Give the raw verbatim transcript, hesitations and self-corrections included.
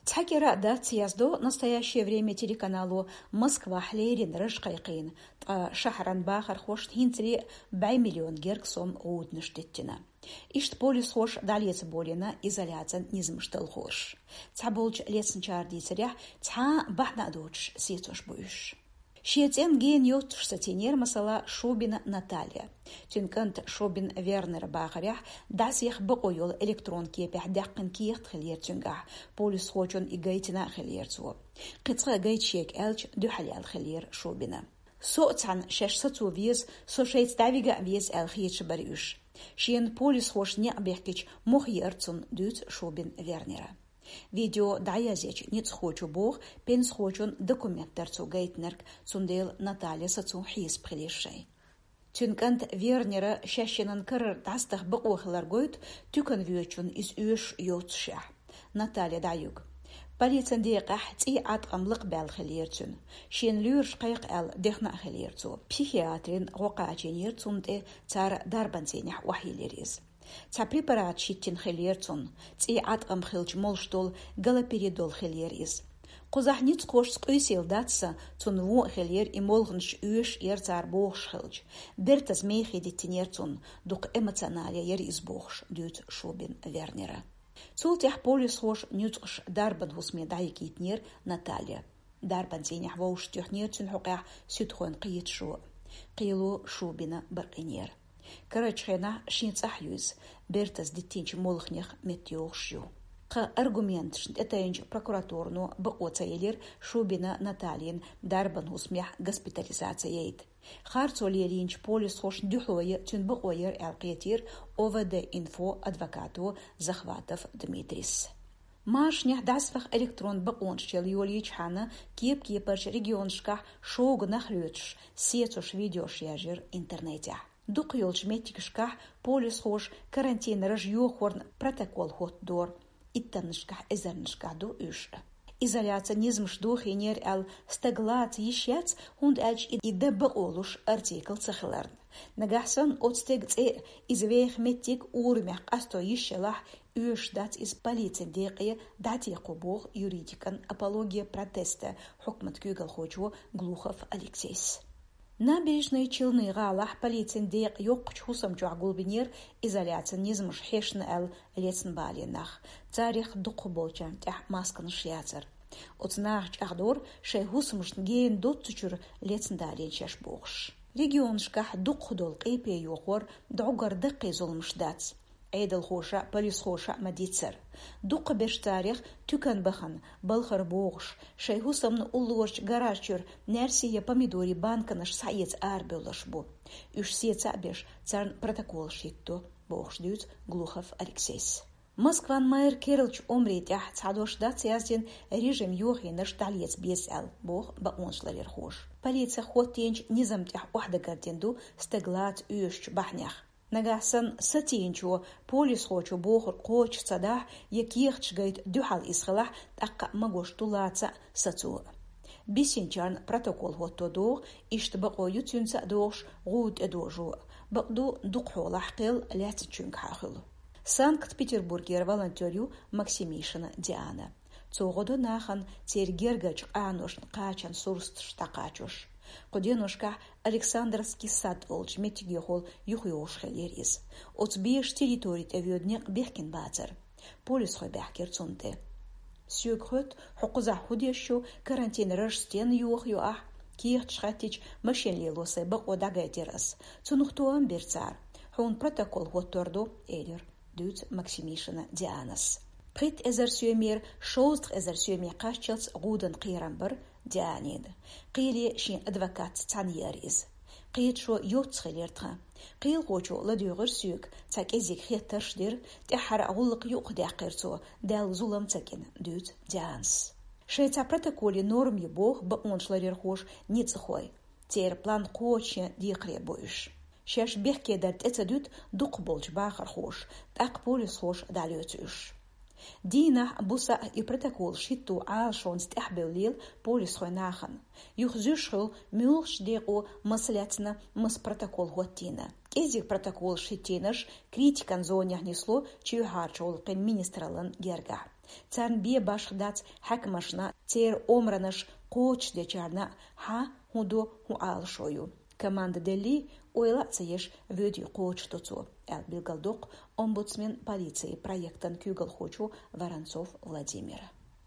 Цхьа кӀира а дац, яздо «Настоящее время» телеканало, Москвахь леррина раж кхайкхийна, ткъа шахьаран бахархошна хӀинцале а бӀе миллион герга сом гӀуданаш диттина. Иштта полисхоша дӀалеца болийна изоляцин низамаш талхораш. Цхьаболчу лецначара дийцарехь, цхьа а бахьана а доцуш сецош бу уьш. Шен цӀенна гена йоццуш сацийнера, масала, Шубина Наталья. Цуьнан кӀанта Шубин Вернера бахарехь, дӀасаеха бакъо йолу электрон кепехь даьккхина кехат хиллера цуьнгахь, полисхочунна и гайтина а хиллера цо. Кхин цкъа а гайта шега аьлча, дуьхьал яьлла хиллера Шубина. Со а цхьаьна шаьш сацо веза, со шайца дӀавига а веза аьлла хеташ бара уьш. Шена полисхоша некъ бехкича мохь еара цунна, дуьйцу Шубин Вернера. Видео дӀаязъечу ницкъахочо боху, пенсахочун документ дара цо гайтинарг, цундела Наталья сацо хьесап хилира шайн. Цуьнан кӀанта Вернера шаьшшиннан карара дӀасадаха бакъо хилар гойту, туькана воьдучунна иза оьшуш йоццушехь. Наталья дӀаюьгу. Полицин декъехь цӀий Ӏаткъам лакхабаьлла хиллера цуьнан. Шена лоьраш кхайкха аьлла, дехна а хиллера цо. Психиатрин гӀо кхачийнера цунна тӀе, цара дарбан цӀийнехь охьайиллира иза. Цхьа препарат хӀиттина хиллера цунна, цӀий Ӏаткъам хилча молуш долу галоперидол хиллера иза. Кхузахь ницкъахошца къуьйсийла дац сан, цунна вон а хиллера и молханаш оьшуш яра цара бохуш хилча. Бертаза мехе диттинера цунна, дукха эмоционале яра иза бохуш, дуьйцу Шубин Вернера. Цул тӀаьхьа полисхоша нуьцкъаша дарбан хӀусаме дӀайигийтинера Наталья. Дарбан цӀийнехь вовшахтоьхнера цуьнан хьокъехь суьдхойн кхеташо. Кхело Шубина бакъйинера. Карарчу хенахь шен цӀахь ю иза, бертаза диттинчу молханех меттайогӀуш ю. Кхин аргументашна тӀетайначу прокуратуро бакъо ца елира Шубина Натальин дарбан хӀусамехь госпитализаци яйта. Харцо лелийначу полисхошна дуьхьало ян цуьнан бакъо яра аьлла кхетийра ОВД-инфо адвокато Захватов Дмитрис. Машанехь дӀасаваха электрон бакъонаш чела йолийчхьана, кеп-кепарчу регионашкахь шога нах лоьцуш, сецош видеош яржира интернетехь. Дукхахйолчу меттигашкахь полисхоша карантин раж йохорна протокол хӀоттадора, иттаннашкахь, эзарнашкахь ду уьш. Изоляцин низамаш дохийнера аьлла стаг лаца йиш яц, хӀунда аьлча и дан бакъо луш артикл ца хиларна. Нагахь санна оцу стеган цӀе а, иза веха меттиг а урамехь къасто йиш ялахь, оьшуш дац иза полицин декъе дӀатекхо, боху юридикан «Апология протеста» хьукмат куьйгалхочо Глухов Алексейс. Набережные Челны гӀалахь полицин декъа йоккхачу хӀусам чохь гулбинера изоляцин низамаш хьешна аьлла лецна балийна нах. Царах дукхахболчарна тӀехь масканаш яцара. Оцу наха чӀагӀдора шайн хӀусамашна гена доццучуьра лецна далийна шаьш бохуш. Регионашкахь дукхахдолу къепе йохор дӀогара даккхий зуламаш дац. Ӏедалхоша а, полисхоша а ма-дийццара. Дукхахберш царах туькана бахана, балхара богӀуш, шайн хӀусамна уллорчу гараж чуьра наьрсий я помидорий банканаш схьаэца арабевлларш бу. Уьш сеца а беш, царна протоколаш хӀиттадо, бохуш дуьйцу Глухов Алексейс. Москван мэр керлачу омрийн тӀехь цхьа дош дац яздина режим йохийнарш дӀалеца беза аьлла, боху бакъонашларъярхоша. Полицех хӀоттийначу низам тӀехь охьадагардина ду стаг лаца оьшучу бахьанех. Нагахь санна сацийначо, полисхочо бохург кхочуш ца дахь, я кехаташ гайта дуьхьал иза хилахь, тӀаккха а магош ду лаца а, сацо а. Бисинчарна протокол хӀотто догӀу, иштта бакъо ю цуьнца а догӀуш гӀуда тӀедожо а. Бакъду, дукха хьолахь кхел лаьцначуьнгахьа хуьлу. Санкт-Петербургера волонтёр ю Максимишина Диана. Цо гӀо до нахана церан гергарчу къаношна кхачан сурсаташ дӀакхачош. Кху деношкахь Александровский сад олучу меттигехула юхайогӀуш хиллера иза. Оцу бешан территори тӀе воьду некъ бехкина бацара. Полисхой баьхкира цунна тӀе. Соьга хоьтту, хьо кхузахь хӀун деш ю, карантин раж стенна йохайо ахь? Кехаташ хаттича, машен лело сайн бакъо дӀагайтира ас. Цунах тоам бира цара. Хьуна протокол хӀоттор ду, элира, дуьйцу Максимишина Дианас. Пхийтта эзар соьмера шовзткъа эзар соьме кхаччалц гӀудан кхерам бара Дианина. Кхеле шен адвокатца цхьаьна яра иза. Кхеташо йоццу хилира тхан. Кхелахочо ладуьйгӀира соьга, цхьа кӀезиг хеттарш дира, тӀаьххьара гӀуллакх юкъадаьккхира цо, Далла зулам ца гина, дуьйцу Дианас. Шайн цхьа протоколи норма ю боху бакъонашларъярхоша ницкъахой. Церан план кхочушъян декхаре бу уьш. Шаьш бехке дар тӀе ца дуьту дукхахболчу бахархоша, тӀаккха полисхоша дӀалоьцу уьш. Дийнахь, буса а и протоколаш хӀитто Ӏалашонца тӀаьхьабевллера полисхой нахана. Юха зуьйш хуьлу муьлхачу декъо маса лаьцна, маса протокол хӀоттийна. КӀезиг протоколаш хӀиттийнарш критикан зонехь нисло чоьхьарчу гӀуллакхийн министраллан гергахь. Царна бе башха дац хьаькамашна, церан омранаш кхочушдечарна хьа хӀун до, хӀун Ӏалашо ю. Команда делли, ойла а ца еш, воьдий кхочушдо цо, аьлла билгалдоккху омбудсмен полицей проектан куьйгалхочо Воронцов Владимира.